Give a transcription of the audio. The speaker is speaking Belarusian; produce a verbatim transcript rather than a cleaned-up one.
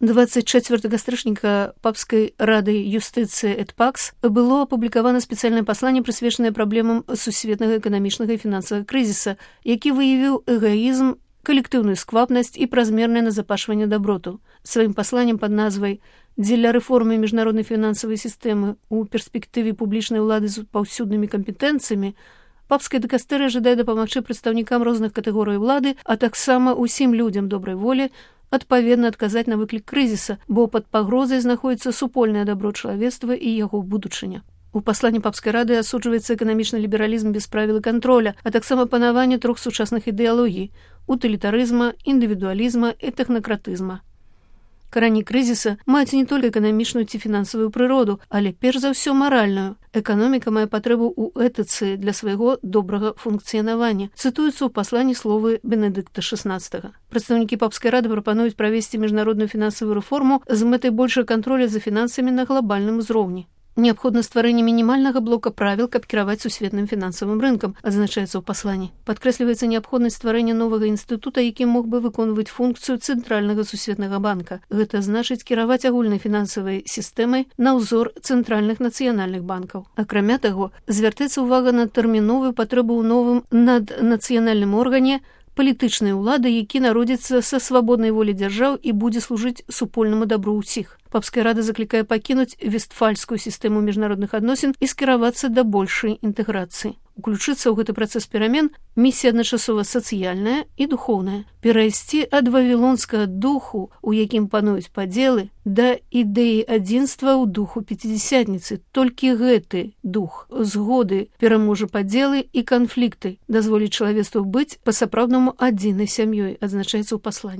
двадцать четвёртага стрычніка папскай рады юстыцыі эт пакс было апублікавана спецыяльнае пасланне, прысвечанае праблемам сусветнага эканамічнага і фінансавага крызіса, які выявіў эгоізм, калектыўную сквапнасць і празмернае назапашванне даброту. Сваім пасланнем пад назвай «Дзеля рэформы міжнароднай фінансавай сістэмы ў перспектыве публічнай улады з паўсюднымі кампетэнцыямі» папская дыкастэрыя жадае дапамагчы прадстаўнікам розных катэгорый улады, а таксама ўсім людзям добрай волі адпаведна адказаць на выклік крызіса, бо пад пагрозай знаходзіцца супольнае дабро чалавецтва і яго будучыня. У пасланні папскай рады асуджваецца эканамічны лібералізм без правіл і кантроля, а таксама панаванне трох сучасных ідэалогій – утылітарызма, індывідуалізма і тэхнакратызма. Карані крызіса маюць не толькі эканамічную ці фінансавую прыроду, але перш за ўсё маральную. Эканоміка мае патрэбу ў этыцы для свайго добрага функцыянавання. Цытуюцца ў пасланні словы Бенедыкта шаснаццатага. Прадстаўнікі папскай рады прапануюць правесці міжнародную фінансавую рэформу з мэтай большага контроля за фінансамі на глобальным узроўні. Неабходна стварэнне мінімальнага блока правіл, каб кіраваць сусветным фінансавым рынкам, адзначаецца ў пасланні. Падкрэсліваецца неабходнасць стварэння новага інстытута, які мог бы выконваць функцыю цэнтральнага сусветнага банка. Гэта значыць кіраваць агульнай фінансавай сістэмай на ўзор цэнтральных нацыянальных банкаў. Акрамя таго, звяртаецца ўвага на тэрміновую патрэбу ў новым наднацыянальным органе палітычнай улады, які народзіцца са свабоднай волі дзяржаў і будзе служыць супольнаму дабру ўсіх. Папская рада заклікае пакінуць вестфальскую сістэму міжнародных адносін і скіравацца да большай інтэграцыі. Уключыцца ў гэты працэс перамен місія адначасова сацыяльная і духоўная. Перайсці ад вавілонскага духу, у якім пануюць падзелы, да ідэі адзінства ў духу пяцідзясятніцы. Толькі гэты дух згоды пераможа падзелы і канфлікты, дазволіць чалавецтву быць па-сапраўднаму адзінай сям'ёй, адзначаецца ў пасланні.